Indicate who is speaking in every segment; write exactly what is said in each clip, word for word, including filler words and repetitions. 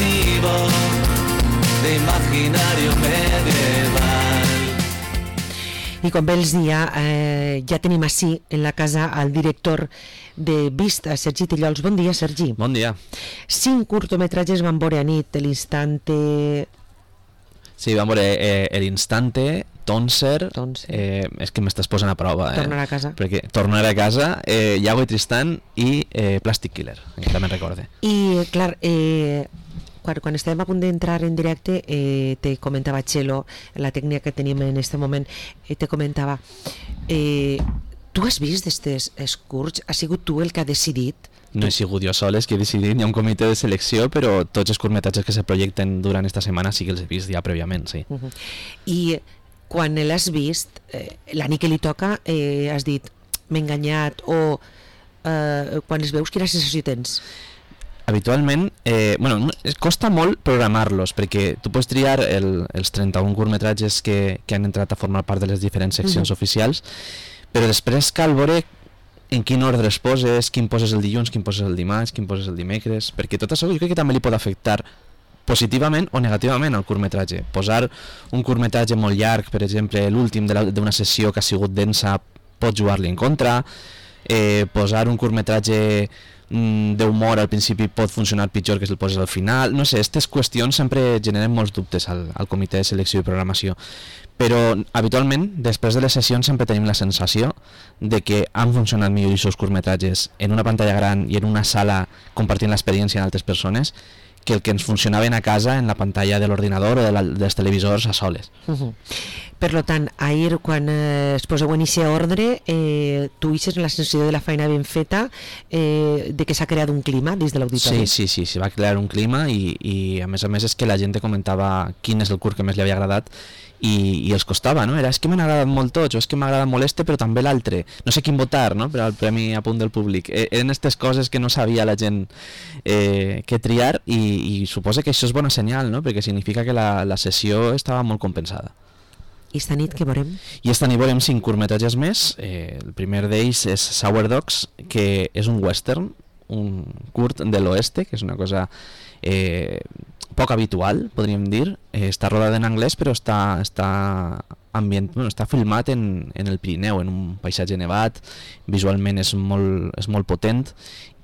Speaker 1: masivo de imaginario medieval.
Speaker 2: I com bé els dia, eh, ja tenim així en la casa el director de Vista, Sergi Tillols. Bon dia, Sergi.
Speaker 3: Bon dia.
Speaker 2: Cinc curtometratges van veure a nit, l'Instante...
Speaker 3: Sí, vam veure eh, l'Instante, Tonser, eh, és que m'estàs posant a prova. Eh?
Speaker 2: Tornar a casa.
Speaker 3: Perquè Tornar a casa, eh, Iago i Tristan i eh, Plastic Killer, encara me'n recorde.
Speaker 2: I, clar, eh, quan, quan estàvem a punt d'entrar en directe, eh, te comentava Txelo, la tècnica que tenim en aquest moment, eh, te comentava... Eh, tu has vist d'aquests curts? Has sigut tu el que ha decidit?
Speaker 3: No he sigut jo soles que he decidit, hi ha un comitè de selecció, però tots els curtmetratges que se projecten durant esta setmana sí que els he vist ja prèviament, sí.
Speaker 2: Uh -huh. I quan l'has vist, eh, la nit que li toca, eh, has dit, m'he enganyat, o eh, quan els veus, quina sensació tens?
Speaker 3: Habitualment, eh, bueno, es costa molt programar-los, perquè tu pots triar el, els trenta-un curtmetratges que, que han entrat a formar part de les diferents seccions uh -huh. oficials, però després cal veure en quin ordre es poses, quin poses el dilluns, quin poses el dimarts, quin poses el dimecres, perquè tot això jo crec que també li pot afectar positivament o negativament al curtmetratge. Posar un curtmetratge molt llarg, per exemple, l'últim d'una sessió que ha sigut densa, pot jugar-li en contra. Eh, posar un curtmetratge mm, d'humor al principi pot funcionar pitjor que si el poses al final. No sé, aquestes qüestions sempre generen molts dubtes al, al comitè de selecció i programació. Però habitualment, després de les sessions, sempre tenim la sensació de que han funcionat millor els seus curtmetratges en una pantalla gran i en una sala compartint l'experiència amb altres persones que el que ens funcionaven a casa en la pantalla de l'ordinador o de la, dels televisors a soles.
Speaker 2: Uh -huh. Per lo tant, ahir, quan eh, es poseu en aquest ordre, eh, tu ixes en la sensació de la feina ben feta, eh, de que s'ha creat un clima dins de l'auditori.
Speaker 3: Sí, sí, sí, s'hi va crear un clima i, i a més a més és que la gent comentava quin és el curt que més li havia agradat i, i els costava, no? Era, és que m'han agradat molt tots, o és que m'ha agradat molt este, però també l'altre. No sé quin votar, no?, per al Premi a Punt del Públic. Eh, eren aquestes coses que no sabia la gent eh, que triar i, i suposo que això és bona senyal, no?, perquè significa que la, la sessió estava molt compensada.
Speaker 2: I esta nit què veurem?
Speaker 3: I esta nit veurem cinc curtmetratges més. Eh, el primer d'ells és Sour Dogs, que és un western, un curt de l'oeste, que és una cosa eh, poc habitual, podríem dir. Eh, està rodat en anglès, però està, està, ambient, bueno, està filmat en, en el Pirineu, en un paisatge nevat. Visualment és molt, és molt potent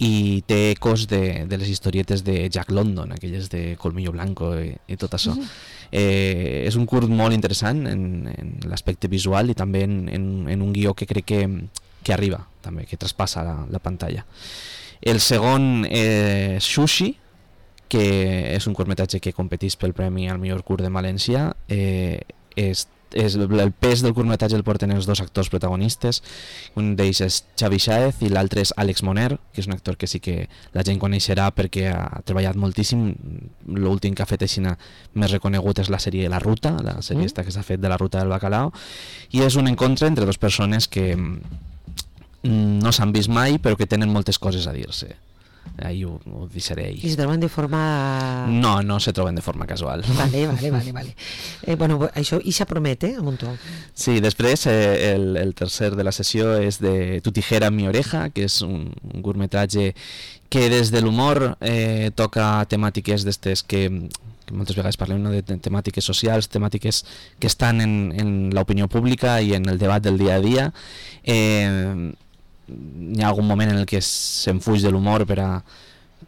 Speaker 3: i té ecos de, de les historietes de Jack London, aquelles de Colmillo Blanco i, i tot això. Mm. Eh, és un curt molt interessant en, en l'aspecte visual i també en, en, en un guió que crec que, que arriba, també, que traspassa la, la pantalla. El segon és Sushi, que és un curtmetratge que competeix pel Premi al millor curt de València. Eh, és, és, el pes del curtmetratge el porten els dos actors protagonistes, un d'ells és Xavi Sáez i l'altre és Àlex Moner, que és un actor que sí que la gent coneixerà perquè ha treballat moltíssim. L'últim que ha fet així més reconegut és la sèrie La Ruta, la sèrie esta que s'ha fet de la Ruta del Bacalao, i és un encontre entre dues persones que no s'han vist mai però que tenen moltes coses a dir-se. Ahí ho, ho deixaré.
Speaker 2: I se troben de forma...
Speaker 3: No, no se troben de forma casual.
Speaker 2: Vale, vale, vale, vale. Eh, bueno, això i se promet, eh, a muntó.
Speaker 3: Sí, després eh, el, el tercer de la sessió és de Tu tijera mi oreja, que és un, un curtmetratge que des de l'humor eh, toca temàtiques d'estes que, que moltes vegades parlem, no?, de temàtiques socials, temàtiques que estan en, en l'opinió pública i en el debat del dia a dia. Eh, hi ha algun moment en el que se'n fuig de l'humor per a,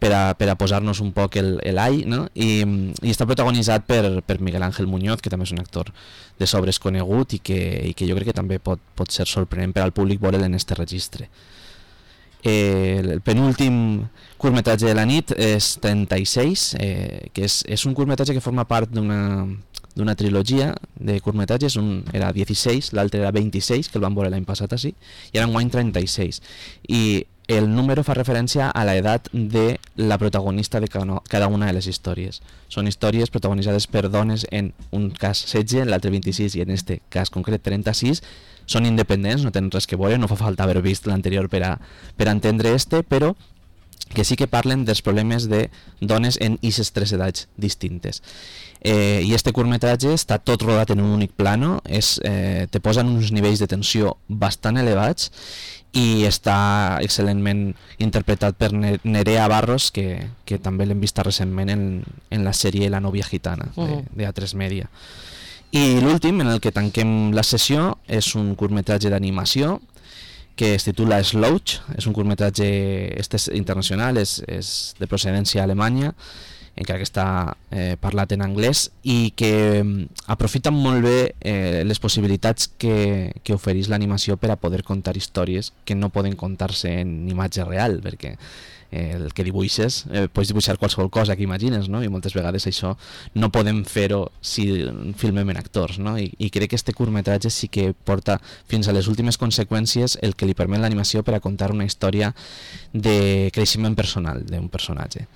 Speaker 3: per a, per a posar-nos un poc l'all, no? I, i està protagonitzat per, per Miguel Ángel Muñoz, que també és un actor de sobres conegut i que, i que jo crec que també pot, pot ser sorprenent per al públic veure'l en este registre. Eh, el penúltim curtmetratge de la nit és trenta-sis, eh, que és, és un curtmetratge que forma part d'una d'una trilogia de curtmetratges, un era dieciséis, l'altre era vint-i-sis, que el vam veure l'any passat així, i ara enguany trenta-sis. I el número fa referència a l'edat de la protagonista de cada una de les històries. Són històries protagonitzades per dones, en un cas setze, en l'altre vint-i-sis, i en este cas concret trenta-sis, són independents, no tenen res que veure, no fa falta haver vist l'anterior per a, per a entendre este, però que sí que parlen dels problemes de dones en aquestes tres edats distintes. Eh, I este curtmetratge està tot rodat en un únic plano, és, eh, te posen uns nivells de tensió bastant elevats i està excel·lentment interpretat per Nerea Barros, que, que també l'hem vista recentment en, en la sèrie La novia gitana de, de A tres Media. I l'últim, en el que tanquem la sessió, és un curtmetratge d'animació que es titula Slouch. És un curtmetratge este és internacional, és, és de procedència alemanya, encara que està eh, parlat en anglès, i que eh, aprofita molt bé eh, les possibilitats que, que ofereix l'animació per a poder contar històries que no poden contar-se en imatge real, perquè eh, el que dibuixes, eh, pots dibuixar qualsevol cosa que imagines, no? I moltes vegades això no podem fer-ho si filmem en actors, no? I, i crec que este curtmetratge sí que porta fins a les últimes conseqüències el que li permet l'animació per a contar una història de creixement personal d'un personatge.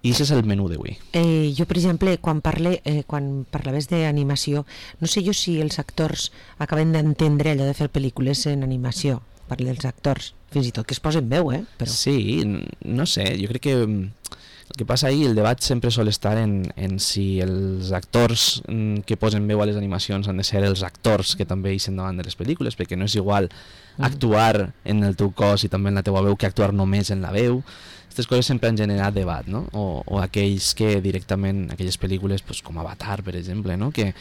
Speaker 3: I això és el menú d'avui.
Speaker 2: Eh, jo, per exemple, quan, parle, eh, quan parlaves d'animació, no sé jo si els actors acaben d'entendre allò de fer pel·lícules en animació. Parle dels actors, fins i tot que es posen veu, eh? Però...
Speaker 3: Sí, no sé, jo crec que el que passa ahí, el debat sempre sol estar en, en si els actors que posen veu a les animacions han de ser els actors que també eixen davant de les pel·lícules, perquè no és igual actuar en el teu cos i també en la teua veu que actuar només en la veu. Aquestes coses sempre han generat debat, no? O, o aquells que directament, aquelles pel·lícules pues, com Avatar, per exemple, no? que,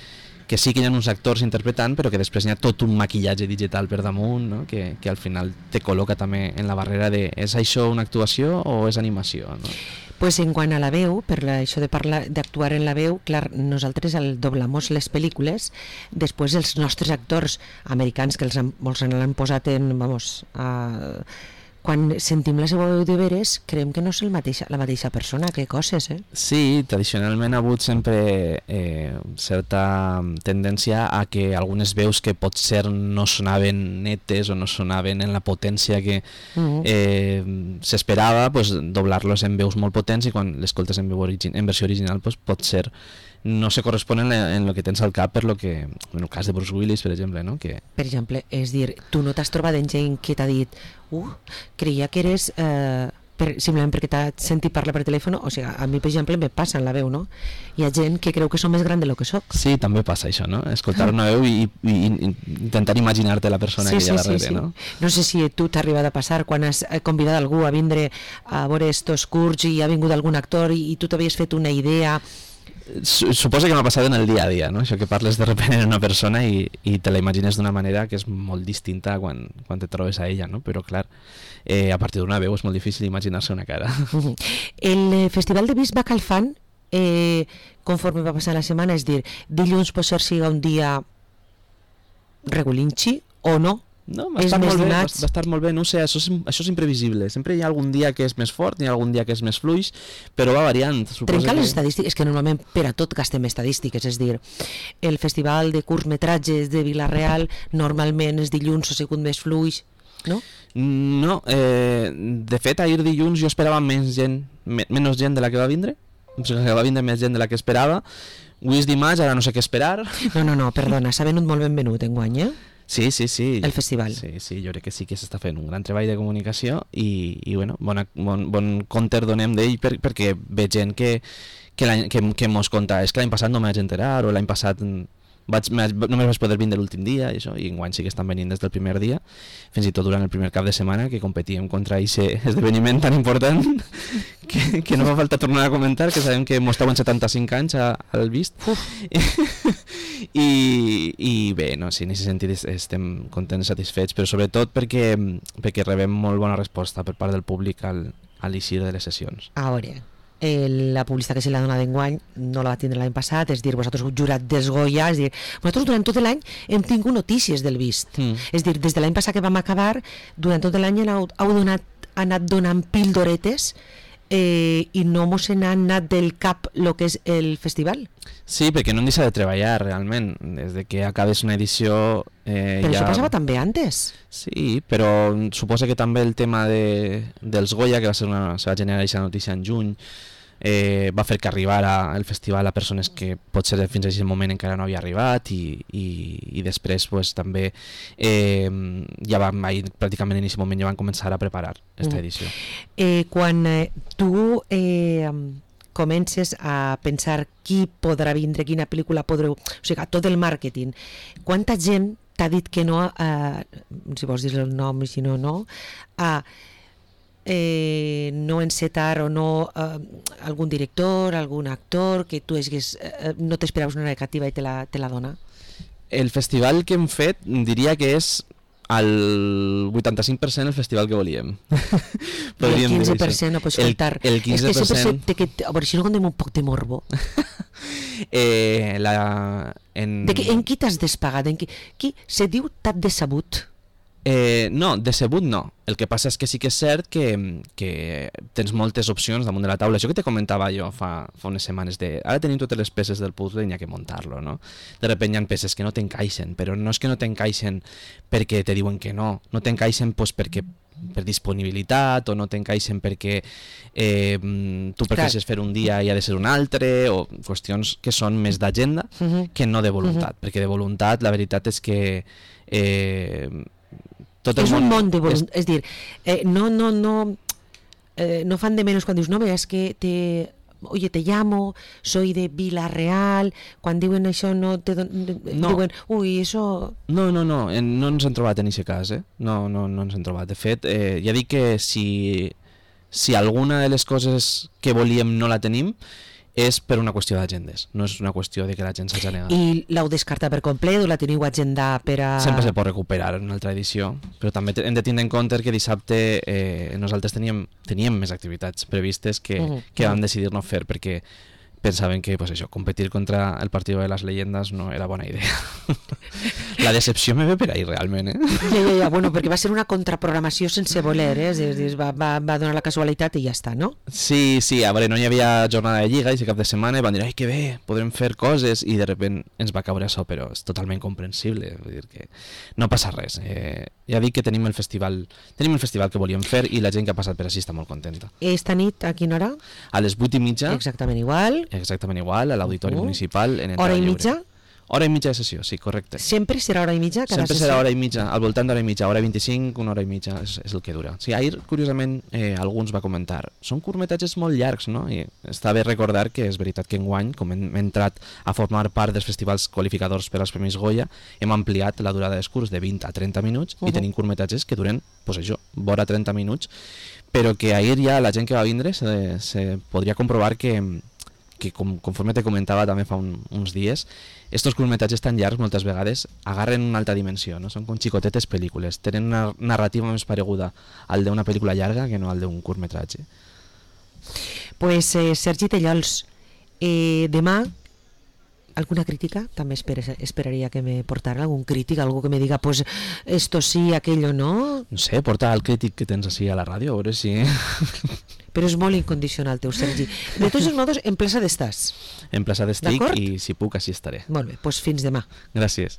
Speaker 3: que sí que hi ha uns actors interpretant, però que després hi ha tot un maquillatge digital per damunt, no? que, que al final te col·loca també en la barrera de és això una actuació o és animació, no?
Speaker 2: Pues en quant a la veu, per la, això de parlar d'actuar en la veu, clar, nosaltres el doblamos les pel·lícules, després els nostres actors americans, que els han, molts l'han posat en, vamos, a... quan sentim la seva veu de veres, creiem que no és el mateixa, la mateixa persona, que coses, eh?
Speaker 3: Sí, tradicionalment ha hagut sempre eh, certa tendència a que algunes veus que potser no sonaven netes o no sonaven en la potència que uh-huh. eh, s'esperava, pues, doblar-los en veus molt potents, i quan l'escoltes en, veu origi- en versió original pues, pot ser no se corresponen en lo que tens al cap per lo que, en el cas de Bruce Willis, per exemple, no? Que...
Speaker 2: Per exemple, és dir, tu no t'has trobat en gent que t'ha dit uh, creia que eres eh, per, simplement perquè t'ha sentit parlar per telèfon, o sigui, a mi, per exemple, me passa en la veu, no? Hi ha gent que creu que som més gran de lo que soc.
Speaker 3: Sí, també passa això, no? Escoltar una veu i, i, i intentar imaginar-te la persona sí, que hi ha sí, darrere, sí, sí. no?
Speaker 2: No sé si tu t'ha arribat a passar quan has convidat algú a vindre a veure estos curts i ha vingut algun actor i, i tu t'havies fet una idea...
Speaker 3: Suposo que m'ha passat en el dia a dia, no? Això que parles de repente en una persona i, i te la imagines d'una manera que és molt distinta quan, quan te trobes a ella, no? Però clar, eh, a partir d'una veu és molt difícil imaginar-se una cara.
Speaker 2: El Festival de Visc va calfant eh, conforme va passar la setmana, és dir, dilluns pot ser siga un dia regulinxi o no?
Speaker 3: No, va estar, molt bé, va, va estar molt bé, no sé, això és, això és imprevisible. Sempre hi ha algun dia que és més fort, hi ha algun dia que és més fluix, però va variant.
Speaker 2: Trencar les que... estadístiques, és que normalment per a tot gastem estadístiques, és dir, el festival de curtmetratges de Vila-real normalment és dilluns o segon més fluix, no?
Speaker 3: No, eh, de fet ahir dilluns jo esperava menys gent, me, menys gent de la que va vindre, o sigui que va vindre més gent de la que esperava. Avui és dimarts, ara no sé què esperar.
Speaker 2: No, no, no, perdona, s'ha venut molt benvenut enguany, eh?
Speaker 3: Sí, sí, sí.
Speaker 2: El festival.
Speaker 3: Sí, sí, jo crec que sí que s'està fent un gran treball de comunicació i, i bueno, bona, bon, bon compte donem d'ell per, perquè ve gent que, que, que, que mos conta, és que l'any passat no m'haig enterar o l'any passat vaig, només vaig poder vindre l'últim dia i, això, i enguany sí que estan venint des del primer dia, fins i tot durant el primer cap de setmana que competíem contra aquest esdeveniment tan important que, que no fa falta tornar a comentar, que sabem que mos en setanta-cinc anys al vist. I, i bé, no, sí, en aquest sentit estem contents i satisfets, però sobretot perquè, perquè rebem molt bona resposta per part del públic al, a l'eixir de les sessions.
Speaker 2: A veure, eh, la publicitat que se l'ha donat d'enguany no la va tindre l'any passat, és dir, vosaltres heu jurat des Goya, és dir, nosaltres durant tot l'any hem tingut notícies del Vist, mm. és dir, des de l'any passat que vam acabar, durant tot l'any heu, heu donat, anat donant píldoretes eh, i no mos n'ha anat del cap el que és el festival.
Speaker 3: Sí, perquè no en deixa de treballar realment, des de que acabes una edició... Eh,
Speaker 2: però
Speaker 3: ja...
Speaker 2: això passava també antes.
Speaker 3: Sí, però suposa que també el tema de, dels Goya, que va ser una, se va generar aquesta notícia en juny, eh, va fer que arribara al festival a persones que potser fins a aquest moment encara no havia arribat i, i, i després pues, també eh, ja vam, pràcticament en aquest moment ja van començar a preparar aquesta edició.
Speaker 2: Mm. Eh, quan eh, tu... Eh, comences a pensar qui podrà vindre, quina pel·lícula podreu... O sigui, tot el màrqueting. Quanta gent t'ha dit que no, eh, si vols dir el nom i si no, no, a eh, no encetar o no eh, algun director, algun actor que tu hagués, eh, no t'esperaves una negativa i te la, te la dona?
Speaker 3: El festival que hem fet diria que és el vuitanta-cinc per cent el festival que volíem.
Speaker 2: I el quinze per cent no pots faltar.
Speaker 3: El, el quinze per cent...
Speaker 2: És que sempre té que... A veure, si no contem un poc de morbo.
Speaker 3: eh, la, en...
Speaker 2: De que, en qui t'has despagat? En qui, qui se diu t'has decebut?
Speaker 3: Eh, no, decebut no. El que passa és que sí que és cert que, que tens moltes opcions damunt de la taula. Això que te comentava jo fa, fa unes setmanes de ara tenim totes les peces del puzzle i n'hi ha que muntar-lo, no? De repente hi ha peces que no t'encaixen, però no és que no t'encaixen perquè te diuen que no, no t'encaixen pues, perquè per disponibilitat o no t'encaixen perquè eh, tu prefereixes fer un dia i ha de ser un altre o qüestions que són més d'agenda uh-huh. que no de voluntat, uh-huh. perquè de voluntat la veritat és que eh, tot el
Speaker 2: és
Speaker 3: món...
Speaker 2: un món de voluntat, és, és dir, eh, no, no, no, eh, no fan de menys quan dius, no veas que te... Oye, te llamo, soy de Vila-real, quan diuen això no te don...
Speaker 3: no.
Speaker 2: diuen, ui, això...
Speaker 3: No, no, no, no ens hem trobat en aquest cas, eh? No, no, no ens hem trobat. De fet, eh, ja dic que si, si alguna de les coses que volíem no la tenim, és per una qüestió d'agendes, no és una qüestió de que la gent s'hagi negat.
Speaker 2: I l'heu descartat per complet o la teniu agendada per a...
Speaker 3: Sempre se pot recuperar en una altra edició, però també hem de tindre en compte que dissabte eh, nosaltres teníem, teníem més activitats previstes que, uh -huh. que vam decidir no fer perquè pensaven que pues això, competir contra el Partido de las Leyendas no era bona idea. La decepció me ve per ahí realment, eh?
Speaker 2: Ja, ja, ja, bueno, perquè va ser una contraprogramació sense voler, eh? És dir, va, va, va donar la casualitat i ja està, no?
Speaker 3: Sí, sí, a veure, no hi havia jornada de lliga i si cap de setmana van dir, ai, que bé, podrem fer coses i de repente ens va caure això, però és totalment comprensible, vull dir que no passa res. Eh, ja dic que tenim el festival tenim el festival que volíem fer i la gent que ha passat per així està molt contenta.
Speaker 2: Esta nit, a quina hora?
Speaker 3: A les vuit i mitja.
Speaker 2: Exactament igual.
Speaker 3: Exactament igual, a l'Auditori uh -huh. Municipal. En
Speaker 2: hora i
Speaker 3: lliure.
Speaker 2: mitja?
Speaker 3: Hora i mitja de sessió, sí, correcte.
Speaker 2: Sempre serà hora i mitja? Cada
Speaker 3: Sempre
Speaker 2: sessió?
Speaker 3: serà hora i mitja, al voltant d'hora i mitja, hora vint-i-cinc, una hora i mitja, és, és el que dura. Sí, ahir, curiosament, eh, alguns va comentar, són curtmetratges molt llargs, no? I està bé recordar que és veritat que enguany, com hem entrat a formar part dels festivals qualificadors per als Premis Goya, hem ampliat la durada dels curts de vint a trenta minuts uh -huh. i tenim curtmetratges que duren, pues això, vora trenta minuts, però que ahir ja la gent que va vindre se, se podria comprovar que que com, conforme te comentava també fa un, uns dies, estos curtmetratges tan llargs moltes vegades agarren una altra dimensió, no? Són com xicotetes pel·lícules, tenen una narrativa més pareguda al d'una pel·lícula llarga que no al d'un curtmetratge.
Speaker 2: Pues eh, Sergi Tellols, eh, demà alguna crítica? També espera, esperaria que me portara algun crític, algú que me diga pues esto sí, aquello no.
Speaker 3: No sé, porta el crític que tens així a la ràdio, a veure si...
Speaker 2: Però és molt incondicional teu, Sergi. De tots els modos, en plaça d'estàs.
Speaker 3: En plaça d'estic i si puc així estaré.
Speaker 2: Molt bé, doncs fins demà.
Speaker 3: Gràcies.